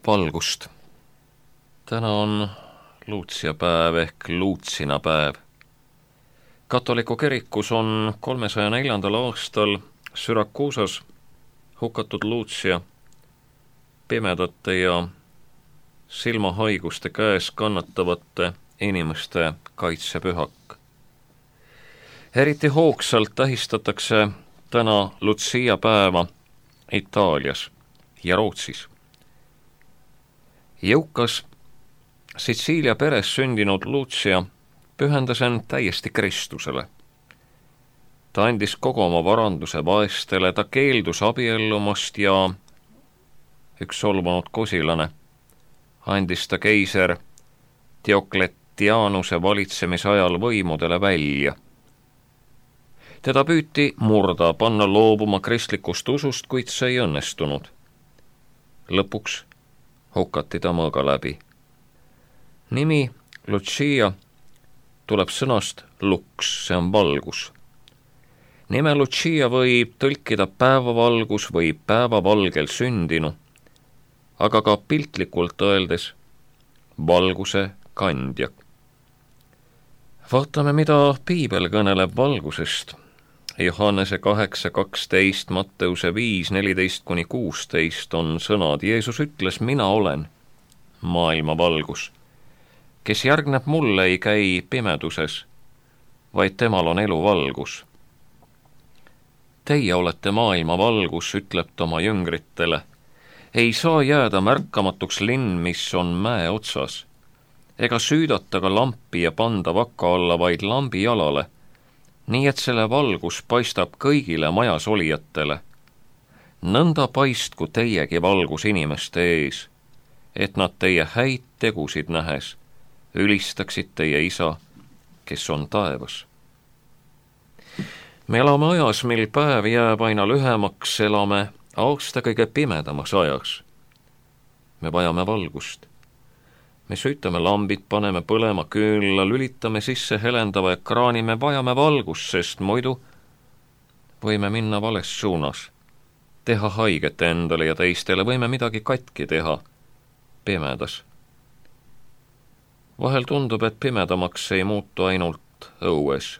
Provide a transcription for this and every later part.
valgust. Täna on Luutsia päev ehk Luutsina päev. Katoliku kirikus on 304. aastal Syrakuusas hukatud Luutsia pimedate ja silmahaiguste käes kannatavate inimeste kaitsepühak. Eriti hoogsalt tähistatakse täna Lucia päeva Itaalias ja Rootsis. Jõukas Sitsiilia peres sündinud Luutsia pühendas end täiesti Kristusele. Ta andis kogu oma varanduse vaestele, ta keeldus abiellumast ja üks solvunud kosilane andis ta keiser Diokletianuse valitsemisajal võimudele välja. Teda püüti murda, panna loobuma kristlikust usust, kuid see ei õnnestunud. Lõpuks hukati ta mõõga läbi. Nimi Lucia tuleb sõnast lux, see on valgus. Nime Lucia võib tõlkida päevavalgus või päevavalgel sündinu, aga ka piltlikult öeldes valguse kandja. Vaatame, mida piibel kõneleb valgusest. Johannese 8:12, Matteuse 5:14-16 on sõnad. Jeesus ütles, mina olen maailma valgus. Kes järgneb mulle, ei käi pimeduses, vaid temal on elu valgus. Teie olete maailma valgus, ütleb ta oma jüngritele. Ei saa jääda märkamatuks linn, mis on mäe otsas, ega süüdata ka lampi ja panda vaka alla, vaid lambi jalale, nii et selle valgus paistab kõigile majas olijatele. Nõnda paistku teiegi valgus inimeste ees, et nad teie häid tegusid nähes ülistaksid teie isa, kes on taevas. Me elame ajas, mil päev jääb aina lühemaks, elame aasta kõige pimedamas ajas. Me vajame valgust. Me süütame lambid, paneme põlema küünla, lülitame sisse helendava ekraani, me vajame valgust, sest muidu võime minna vales suunas, teha haiget endale ja teistele, võime midagi katki teha pimedas. Vahel tundub, et pimedamaks ei muutu ainult õues.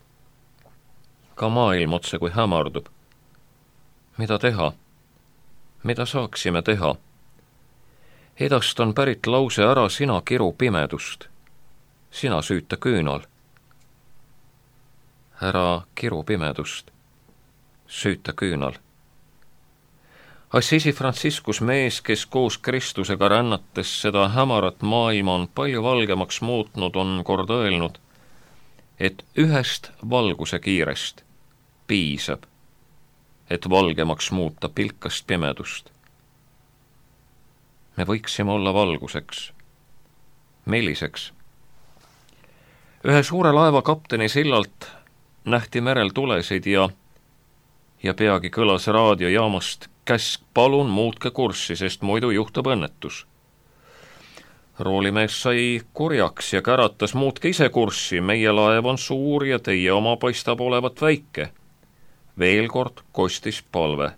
Ka maailm otse kui hämardub. Mida teha? Mida saaksime teha? Edast on pärit lause ära sina kiru pimedust. Sina süüta küünal. Ära kiru pimedust. Süüta küünal. Assisi Franciscus, mees, kes koos Kristusega rännates seda hämarat maailma on palju valgemaks muutnud, on kord öelnud, et ühest valguse kiirest piisab, et valgemaks muuta pilkast pimedust. Me võiksime olla valguseks. Milliseks? Ühe suure laeva kapteni sillalt nähti merel tulesid ja peagi kõlas raadiojaamast käsk, palun muutke kurssi, sest muidu juhtub õnnetus. Roolimees sai kurjaks ja käratas, muutke ise kurssi, meie laev on suur ja teie oma paistab olevat väike. Veel kord kostis palve.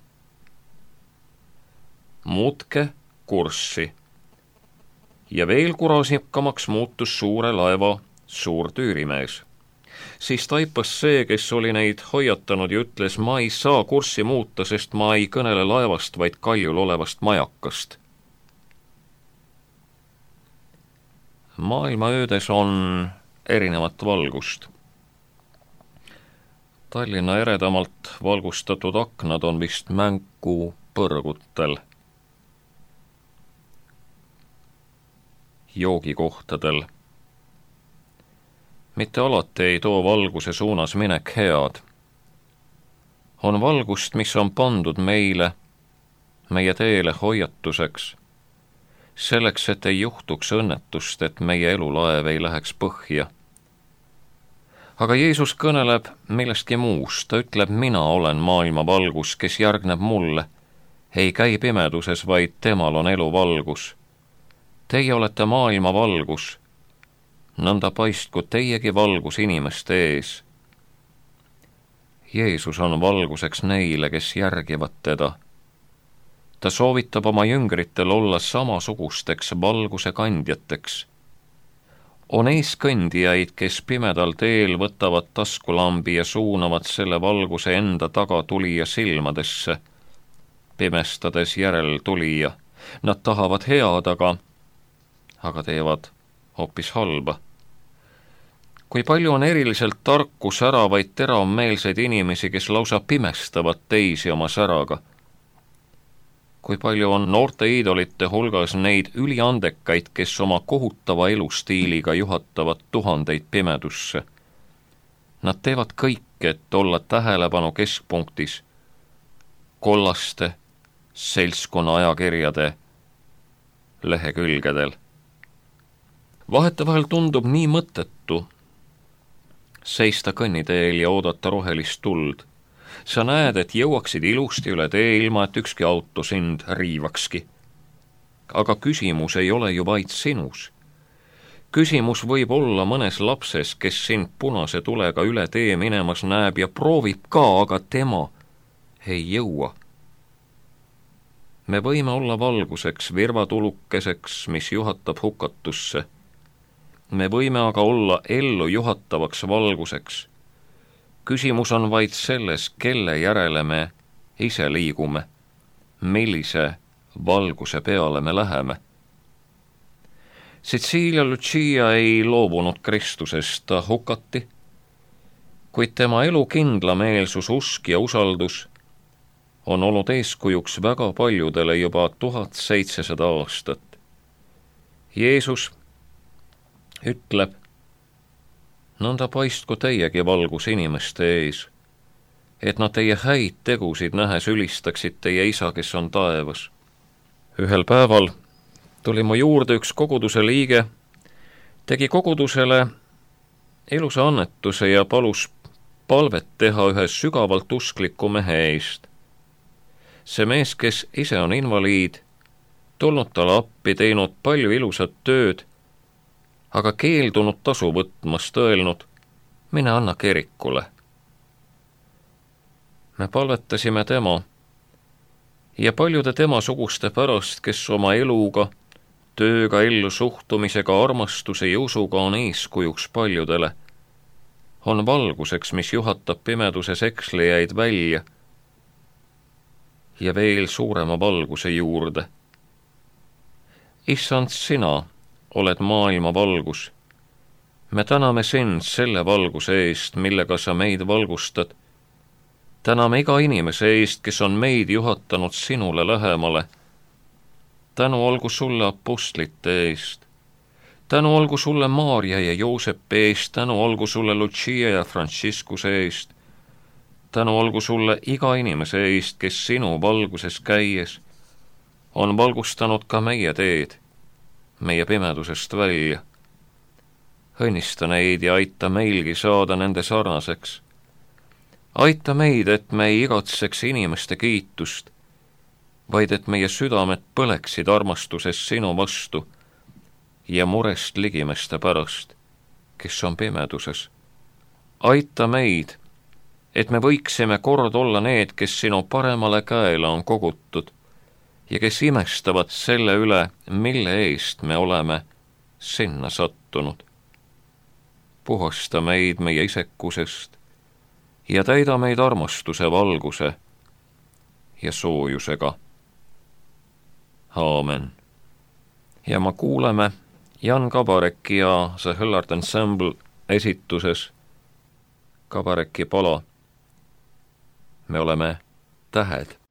Muutke kurssi. Ja veel kurasikamaks muutus suure laeva suur tüürimees. Siis taipas see, kes oli neid hoiatanud ja ütles, ma ei saa kurssi muuta, sest ma ei kõnele laevast, vaid kaljul olevast majakast. Maailma öödes on erinevat valgust. Tallinna eredamalt valgustatud aknad on vist mängu põrgutel, joogikohtadel. Mitte alati ei too valguse suunas minek head. On valgust, mis on pandud meile, meie teele hoiatuseks, selleks, et ei juhtuks õnnetust, et meie elulaev ei läheks põhja. Aga Jeesus kõneleb millestki muust, ta ütleb, mina olen maailma valgus, kes järgneb mulle, ei käi pimeduses, vaid temal on elu valgus. Teie olete maailma valgus, nõnda paistku teiegi valgus inimeste ees. Jeesus on valguseks neile, kes järgivad teda. ta soovitab oma jüngritel olla samasugusteks valguse kandjateks. On eeskõndijaid, kes pimedal teel võtavad taskulambi ja suunavad selle valguse enda taga tulija silmadesse, pimestades järeltulija. Nad tahavad head, aga teevad hoopis halba. Kui palju on eriliselt tarku, säravaid, teravmeelseid inimesi, kes lausa pimestavad teisi oma säraga. Kui palju on noorte iidolite hulgas neid üliandekaid, kes oma kohutava elustiiliga juhatavad tuhandeid pimedusse. Nad teevad kõik, et olla tähelepanu keskpunktis, kollaste seltskonna ajakirjade lehekülgedel. Vahetevahel tundub nii mõttetu seista kõnniteel ja oodata rohelist tuld. Sa näed, et jõuaksid ilusti üle tee, ilma et ükski auto sind riivakski. Aga küsimus ei ole ju vaid sinus. Küsimus võib olla mõnes lapses, kes sind punase tulega üle tee minemas näeb ja proovib ka, aga tema ei jõua. Me võime olla valguseks, virvatulukeseks, mis juhatab hukatusse. Me võime aga olla ellu juhatavaks valguseks. Küsimus on vaid selles, kelle järele me ise liigume, millise valguse peale me läheme. Cecilia Lucia ei loobunud Kristusest, ta hukati, kuid tema elu kindlameelsus, usk ja usaldus on olnud eeskujuks väga paljudele juba 1700 aastat. Jeesus ütleb, nõnda paistku teiegi valgus inimeste ees, et nad teie häid tegusid nähes ülistaksid teie isa, kes on taevas. Ühel päeval tuli mu juurde üks koguduse liige, tegi kogudusele ilusa annetuse ja palus palvet teha ühe sügavalt uskliku mehe eest. See mees, kes ise on invaliid, tulnud talle appi, teinud palju ilusat tööd, aga keeldunud tasu võtmast, öelnud, mine anna kirikule. Me palvetasime tema ja paljude temasuguste pärast, kes oma eluga, tööga, ellu suhtumisega, armastuse ja usuga on eeskujuks paljudele, on valguseks, mis juhatab pimeduses ekslejaid välja ja veel suurema valguse juurde. Issand, sina oled maailma valgus. Me täname sind selle valguse eest, millega sa meid valgustad. Täname iga inimese eest, kes on meid juhatanud sinule lähemale. Tänu olgu sulle apostlite eest. Tänu olgu sulle Maarja ja Joosepi eest. Tänu olgu sulle Lucia ja Franciscuse eest. Tänu olgu sulle iga inimese eest, kes sinu valguses käies on valgustanud ka meie teed, meie pimedusest välja. Õnnista neid ja aita meilgi saada nende sarnaseks. Aita meid, et me ei igatseks inimeste kiitust, vaid et meie südamed põleksid armastuses sinu vastu ja murest ligimeste pärast, kes on pimeduses. Aita meid, et me võiksime kord olla need, kes sinu paremale käele on kogutud ja kes imestavad selle üle, mille eest me oleme sinna sattunud. Puhasta meid meie isekusest ja täida meid armastuse, valguse ja soojusega. Aamen. Ja ma kuuleme Jan Kabareki ja The Hillard Ensemble esituses Kabareki pala. Me oleme tähed.